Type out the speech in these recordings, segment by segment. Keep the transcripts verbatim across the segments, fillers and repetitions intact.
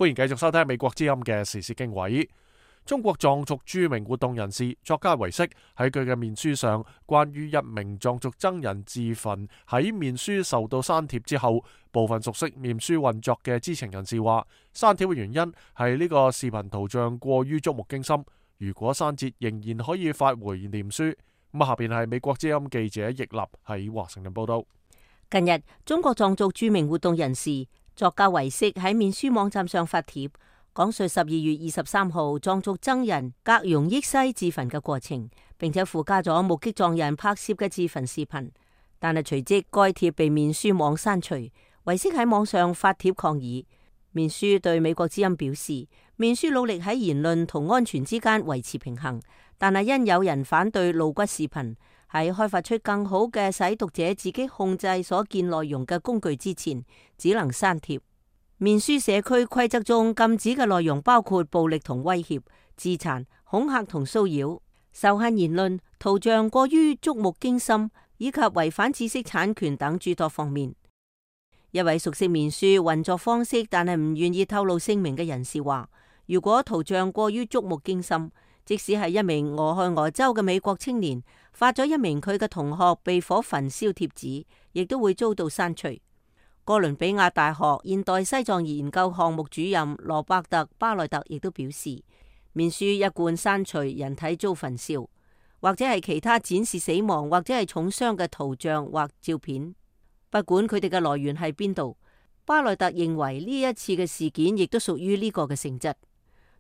歡迎繼續收聽美國之音嘅時事經緯。中國藏族著名活動人士作家唯色喺佢嘅面書上，關於一名藏族僧人自焚喺面書受到刪帖之後，部分熟悉面書運作嘅知情人士話，刪帖嘅原因係呢個視頻圖像過於觸目驚心，如果刪節仍然可以發回臉書。咁下邊係美國之音記者易立喺華盛頓報道。近日，中國藏族著名活動人士作家唯色喺面書網站上發帖，講述十二月二十三號藏族僧人格容益西自焚嘅過程，並且附加咗目擊藏人拍攝嘅自焚視頻。但係隨即該帖被面書網刪除，唯色喺網上發帖抗議。面書對美國之音表示，面書努力喺言論同安全之間維持平衡，但係因有人反對露骨視頻，喺開發出更好嘅使讀者自己控制所見內容嘅工具之前，只能刪帖。面書社區規則中禁止嘅內容包括暴力同威脅、自殘、恐嚇同騷擾、仇恨言論、圖像過於觸目驚心，以及違反知識產權等諸多方面。一位熟悉面書運作方式但係唔願意透露姓名嘅人士話，如果圖像過於觸目驚心，即使係一名俄亥俄州嘅美國青年發咗一名佢嘅同學被火焚燒帖子，亦都會遭到刪除。哥倫比亞大學現代西藏研究項目主任羅伯特巴內特亦都表示，面書一貫刪除人體遭焚燒，或者係其他展示死亡或者係重傷嘅圖像或照片，不管佢哋嘅來源係邊度。巴內特認為呢一次嘅事件亦都屬於呢個嘅性質。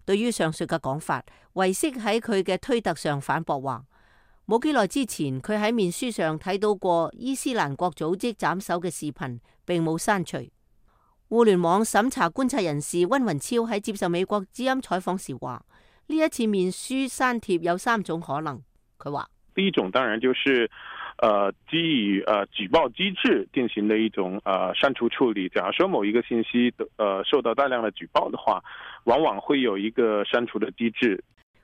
對於上述嘅講法，唯色喺佢嘅推特上反駁話，冇幾耐之前佢喺面書上睇到過伊斯蘭國組織斬首嘅視頻，並冇刪除。互聯網審查觀察人士溫雲超喺接受美國之音採訪時話，呢一次面書刪帖有三種可能。佢話：第一種當然就是呃基於呃舉報機制進行的一種呃刪除處理。假如說某一個信息呃受到大量的舉報的話，往往會有一個刪除的機制。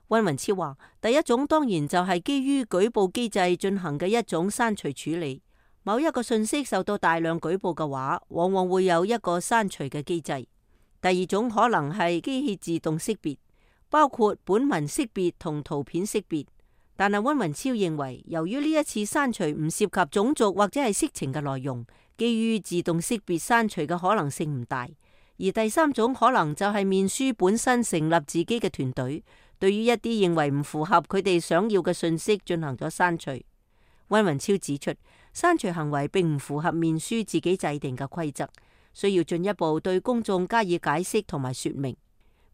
溫雲超話，第一種當然就係基於舉報機制進行嘅一種刪除處理。某一個信息受到大量舉報嘅話，往往會有一個刪除嘅機制。第二種可能係機器自動識別，包括本文識別同圖片識別。但係溫雲超認為，由於呢一次刪除唔涉及種族或者係色情嘅內容，基於自動識別刪除嘅可能性唔大。而第三種可能就係面書本身成立自己嘅團隊，對於一啲認為唔符合佢哋想要嘅信息進行咗刪除。溫雲超指出，刪除行為並唔符合面書自己制定嘅規則，需要進一步對公眾加以解釋同埋說明。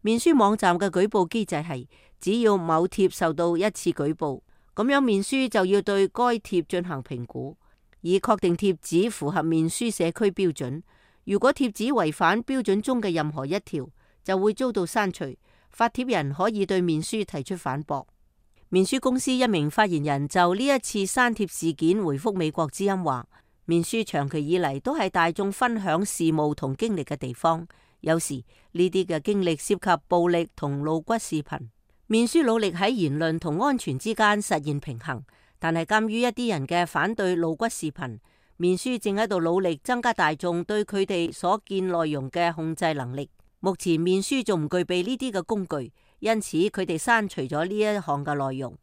面書網站嘅舉報機制係，只要某貼受到一次舉報，咁樣面書就要對該貼進行評估，以確定貼紙符合面書社區標準。如果貼紙違反標準中嘅任何一條，就會遭到刪除。發帖人可以對面書提出反駁。面書公司一名發言人就呢一次刪帖事件回覆美國之音話，面書長期以嚟都係大眾分享事務同經歷嘅地方，有時呢啲嘅經歷涉及暴力同露骨視頻。面書努力喺言論同安全之間實現平衡，但係鑒於一啲人嘅反對露骨視頻，面書正喺度努力增加大眾對佢哋所見內容嘅控制能力。目前面書仲唔具備呢啲嘅工具，因此佢哋刪除咗呢一項嘅內容。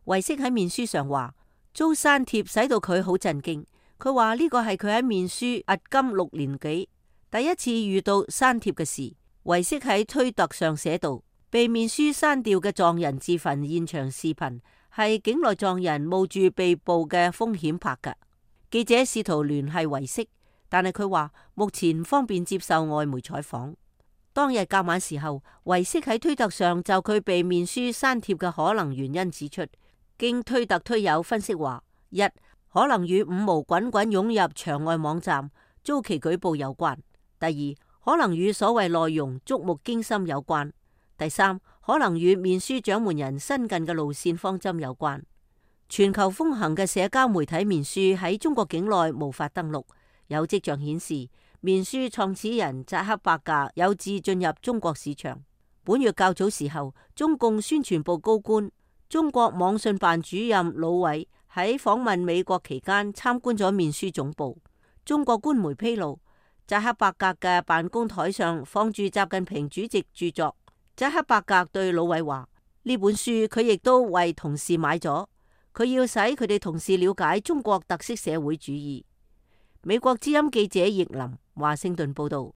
唯色喺面書上話，遭刪帖使到佢好震驚。佢話呢個係佢喺面書壓金六年幾第一次遇到刪帖嘅事。唯色喺推特上寫道，被面書刪掉嘅藏人自焚現場視頻係境內藏人冒住被捕嘅風險拍嘅。記者試圖聯繫唯色，但係佢話目前唔方便接受外媒採訪。當日較晚時候，唯色喺推特上就佢被面書刪帖嘅可能原因指出，經推特推友分析話，一可能與五毛滾滾湧入場外網站遭其舉報有關；第二可能與所謂內容觸目驚心有關；第三可能與面書掌門人新近嘅路線方針有關。全球風行嘅社交媒體面書喺中國境內無法登錄，有跡象顯示面書創始人扎克伯格有志進入中國市場。本月較早時候，中共宣傳部高官、中國網信辦主任魯偉喺訪問美國期間參觀咗面書總部。中國官媒披露，扎克伯格嘅辦公台上放住習近平主席著作。扎克伯格對老韋話：呢本書佢亦都為同事買咗，佢要使佢哋同事了解中國特色社會主義。美國之音記者葉林華盛頓報道。